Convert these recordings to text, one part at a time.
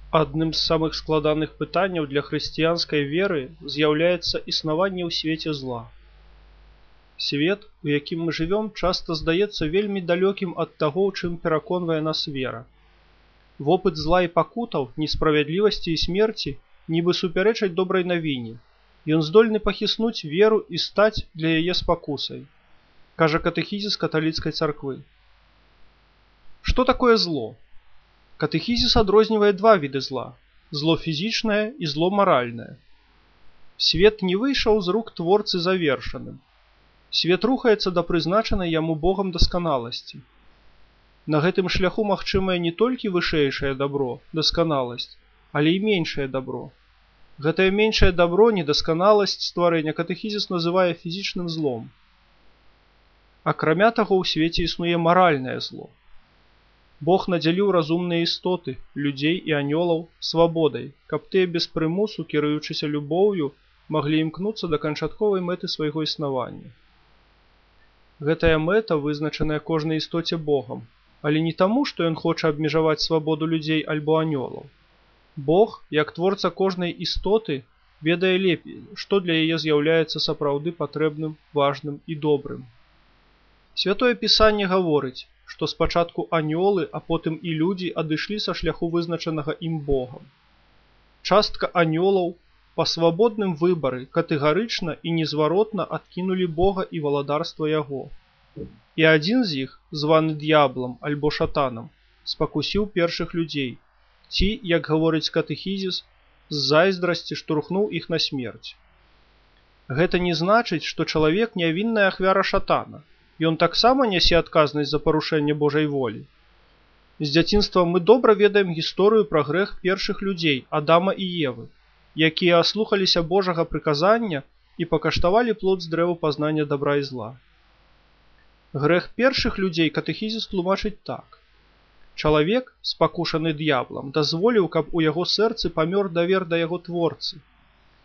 Адным з самых складаных пытанняў для хрысціянскай веры з'яўляецца існаванне ў свеце зла. Свет, у якім мы жывём, часта здаецца вельмі далёкім ад таго, у чым пераконвае нас вера. Вопыт зла і пакутаў, несправядлівасці і смерці нібы супярэчаць добрай навіне. Ён здольны пахіснуць веру і стаць для яе спакусай, кажа катэхізіс каталіцкай царквы. Што такое зло? Катэхізіс адрознівае два віды зла – зло фізічнае і зло маральнае. Свет не выйшаў з рук творцы завершаным. Свет рухаецца да прызначанай яму Богам дасканаласці. На гэтым шляху магчымае не толькі вышэйшае дабро, дасканаласць, але і меншае дабро. Гэтае меншае дабро, недасканаласць стварэння катэхізіс называе фізічным злом. Акрамя таго, у свеце існуе маральнае зло. Бог надзяліў разумныя істоты, людзей і анёлаў, свабодай, каб тыя без прымусу, кіруючыся любоўю, маглі імкнуцца да канчатковай мэты свайго існавання. Гэтая мэта вызначаная кожнай істоце Богам, але не таму, што ён хоча абмежаваць свабоду людзей альбо анёлаў. Бог, як творца кожнай істоты, ведае лепей, што для яе з'яўляецца сапраўды патрэбным, важным і добрым. Святое Пісанне гаворыць, што спачатку анёлы, а потым і людзі адышлі са шляху вызначанага ім Богам. Частка анёлаў па свабодным выбары катэгарычна і незваротна адкінулі Бога і валадарства яго. І адзін з іх, званы д'яблам альбо шатанам, спакусіў першых людзей, ці, як гаворыць катэхізіс, з зайздрасці штурхнуў іх на смерць. Гэта не значыць, што чалавек нявінная ахвяра шатана. Ён таксама нясе адказнасць за парушэнне Божай волі. З дзяцінства мы добра ведаем гісторыю пра грэх першых людзей, Адама і Евы, якія аслухаліся Божага прыказання і пакаштавалі плод з дрэва пазнання дабра і зла. Грэх першых людзей катэхізіс тлумачыць так. Чалавек, спакушаны д'яблам, дазволіў, каб у яго сэрцы памёр давер да яго творцы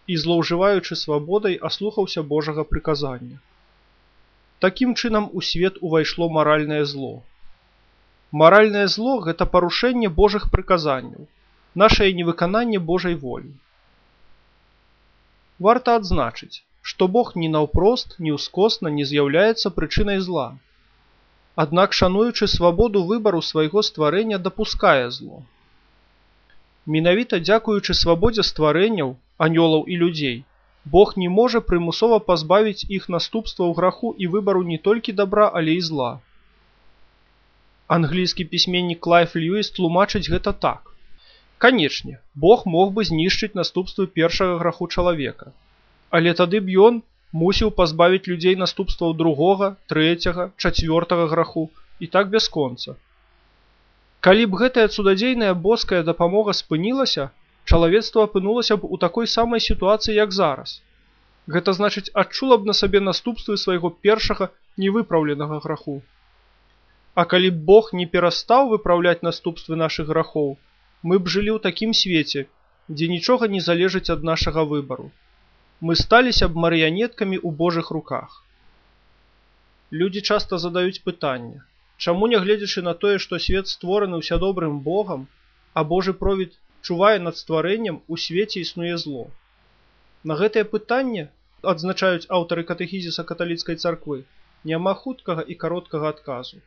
і, злоўжываючы свабодай, аслухаўся Божага прыказання. Такім чынам у свет увайшло маральнае зло. Маральнае зло – гэта парушэнне Божых прыказанняў, нашае невыкананне Божай волі. Варта адзначыць, што Бог ні наўпрост, ні ўскосна не з'яўляецца прычынай зла. Аднак, шануючы свабоду выбару свайго стварэння, дапускае зло. Менавіта дзякуючы свабодзе стварэнняў, анёлаў і людзей, Бог не можа прымусова пазбавіць іх наступстваў граху і выбару не толькі дабра, але і зла. Англійскі пісьменнік Клайв Льюіс тлумачыць гэта так. Канечне, Бог мог бы знішчыць наступствы першага граху чалавека, але тады б ён мусіў пазбавіць людзей наступстваў другога, трэцяга, чацвёртага граху і так бясконца. Калі б гэтая цудадзейная боская дапамога спынілася, чалавецтва апынулася б у такой самай сітуацыі, як зараз. Гэта значыць, адчула б на сабе наступствы свайго першага невыпраўленага граху. А калі б Бог не перастаў выпраўляць наступствы нашых грахоў, мы б жылі ў такім свеце, дзе нічога не залежыць ад нашага выбару. Мы сталіся б марыянеткамі ў Божых руках. Людзі часта задаюць пытанне, чаму, нягледзячы на тое, што свет створаны ўсядобрым Богам, а Божы провід чувае над стварэннем, у свеце існуе зло. На гэтае пытанне, адзначаюць аўтары катэхізіса каталіцкай царквы, няма хуткага і кароткага адказу.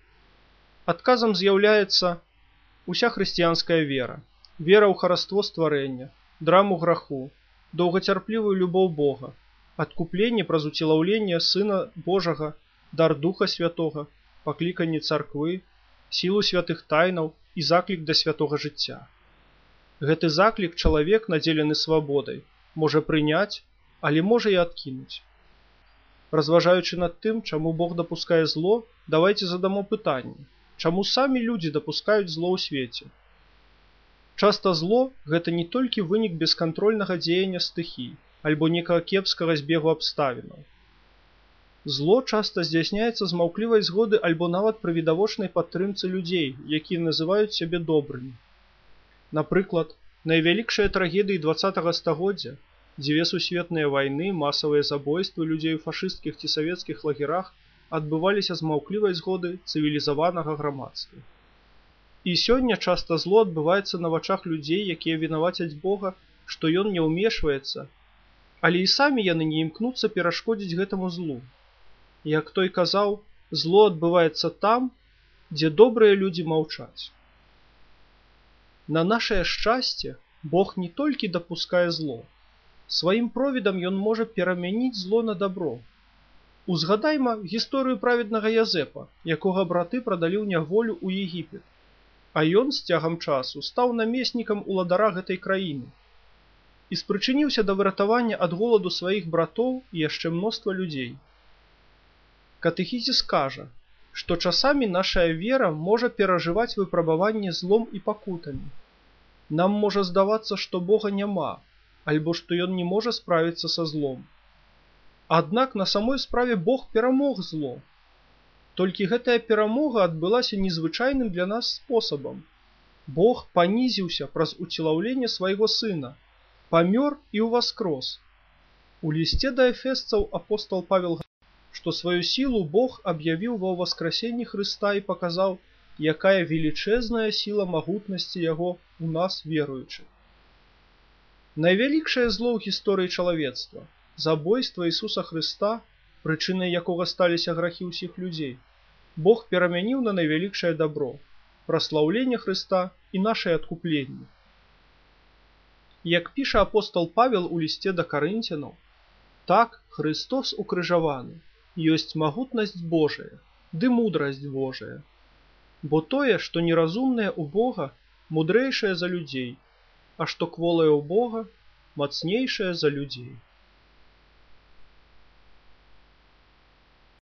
Адказам з'яўляецца уся хрысціянская вера, вера ў хараство стварэння, драму граху, доўгацярплівую любоў Бога, адкупленне праз уцелаўленне Сына Божага, дар Духа Святога, пакліканне царквы, сілу святых тайнаў і заклік да святога жыцця. Гэты заклік чалавек, надзелены свабодай, можа прыняць, але можа і адкінуць. Разважаючы над тым, чаму Бог дапускае зло, давайце задамо пытанне, чаму самі людзі дапускаюць зло ў свеце. Часта зло – гэта не толькі вынік бескантрольнага дзеяння стыхій, альбо некага кепскага збегу абставінаў. Зло часта здзяйсняецца з маўклівай згоды альбо нават пры відавочнай падтрымцы людзей, якія называюць сябе добрымі. Напрыклад, найвялікшыя трагедыі 20-го стагоддзя, дзве сусветныя вайны, масавыя забойствы людзей у фашысцкіх ці савецкіх лагерах адбываліся з маўклівай згоды цывілізаванага грамадства. І сёння часта зло адбываецца на вачах людзей, якія вінавацяць Бога, што ён не ўмешваецца, але і самі яны не імкнуцца перашкодзіць гэтаму злу. Як той казаў, зло адбываецца там, дзе добрыя людзі маўчаць. На нашае шчасце Бог не толькі дапускае зло, сваім провідам ён можа перамяніць зло на дабро. Узгадайма гісторыю праведнага Язэпа, якога браты прадалі ў няволю ў Егіпет, а ён з цягам часу стаў намеснікам уладара гэтай краіны і спрычыніўся да выратавання ад голаду сваіх братоў і яшчэ мноства людзей. Катэхізіс кажа, што часамі нашая вера можа перажываць выпрабаванне злом і пакутамі. Нам можа здавацца, што Бога няма, альбо што ён не можа справіцца са злом. Аднак на самой справе Бог перамог зло. Толькі гэтая перамога адбылася незвычайным для нас спосабам. Бог панізіўся праз уцелаўленне свайго сына, памёр і ўваскрос. У лісце да эфесцаў апостол Павел гаварыць, што сваю сілу Бог аб'явіў ва ўваскрасенні Хрыста і паказаў, якая велічэзная сіла магутнасці яго ў нас веруючых. Найвялікшае зло ў гісторыі чалавецтва, забойства Ісуса Хрыста, прычынай якога сталіся грахі ўсіх людзей, Бог перамяніў на найвялікшае дабро, праслаўленне Хрыста і нашае адкупленне. Як піша апостол Павел у лісце да Карынцянаў, так Христос укрыжаваны, ёсць магутнасць Божая, ды мудрасць Божая. Бо тое, што неразумнае ў Бога, мудрэйшае за людзей, а што кволае ў Бога, мацнейшае за людзей.